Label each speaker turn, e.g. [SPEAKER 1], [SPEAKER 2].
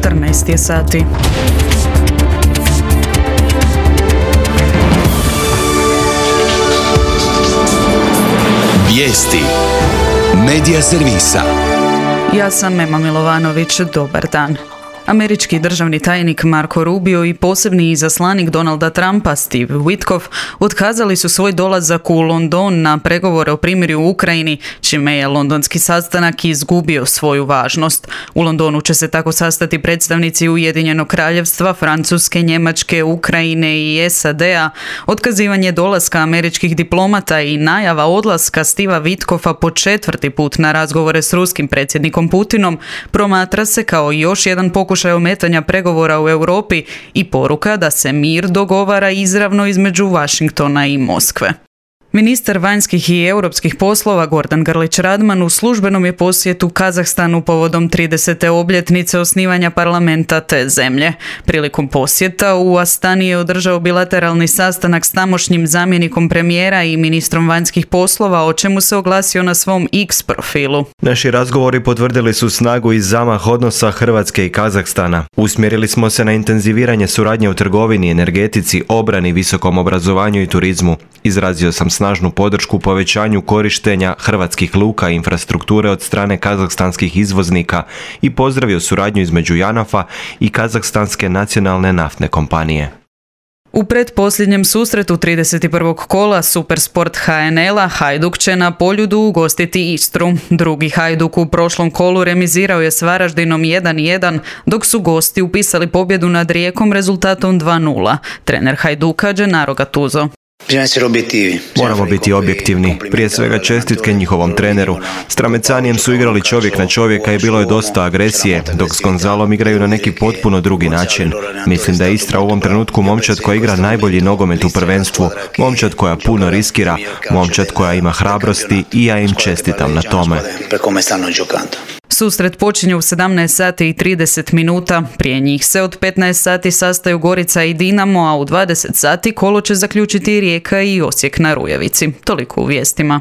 [SPEAKER 1] 14 je sati.
[SPEAKER 2] Vijesti Medija servisa.
[SPEAKER 1] Ja sam Ema Milovanović, dobar dan. Američki državni tajnik Marco Rubio i posebni izaslanik Donalda Trumpa Steve Witkoff otkazali su svoj dolazak u London na pregovore o primirju u Ukrajini, čime je londonski sastanak izgubio svoju važnost. U Londonu će se tako sastati predstavnici Ujedinjenog kraljevstva, Francuske, Njemačke, Ukrajine i SAD-a. Otkazivanje dolaska američkih diplomata i najava odlaska Steva Witkoffa po 4. put na razgovore s ruskim predsjednikom Putinom promatra se kao još jedan pokušaj ometanja pregovora u Europi i poruka da se mir dogovara izravno između Washingtona i Moskve. Ministar vanjskih i europskih poslova Gordan Grlić Radman u službenom je posjetu Kazahstanu povodom 30. obljetnice osnivanja parlamenta te zemlje. Prilikom posjeta u Astani je održao bilateralni sastanak s tamošnjim zamjenikom premijera i ministrom vanjskih poslova, o čemu se oglasio na svom X profilu.
[SPEAKER 3] Naši razgovori potvrdili su snagu i zamah odnosa Hrvatske i Kazahstana. Usmjerili smo se na intenziviranje suradnje u trgovini, energetici, obrani, visokom obrazovanju i turizmu. Izrazio sam snažnu podršku povećanju korištenja hrvatskih luka i infrastrukture od strane kazahstanskih izvoznika i pozdravio suradnju između JANAF-a i Kazahstanske nacionalne naftne kompanije.
[SPEAKER 1] U pretposljednjem susretu 31. kola Supersport HNL-a Hajduk će na Poljudu ugostiti Istru. Drugi Hajduk u prošlom kolu remizirao je s Varaždinom 1-1, dok su gosti upisali pobjedu nad Rijekom rezultatom 2-0. Trener Hajduka Gennaro Gattuso.
[SPEAKER 3] Moramo biti objektivni. Prije svega čestitke njihovom treneru. S Tramecanijem su igrali čovjek na čovjeka i bilo je dosta agresije, dok s Gonzalom igraju na neki potpuno drugi način. Mislim da je Istra u ovom trenutku momčad koja igra najbolji nogomet u prvenstvu, momčad koja puno riskira, momčad koja ima hrabrosti i ja im čestitam na tome.
[SPEAKER 1] Susret počinje u 17 sati i 30 minuta. Prije njih se od 15 sati sastaju Gorica i Dinamo, a u 20 sati kolo će zaključiti Rijeka i Osijek na Rujevici. Toliko u vijestima.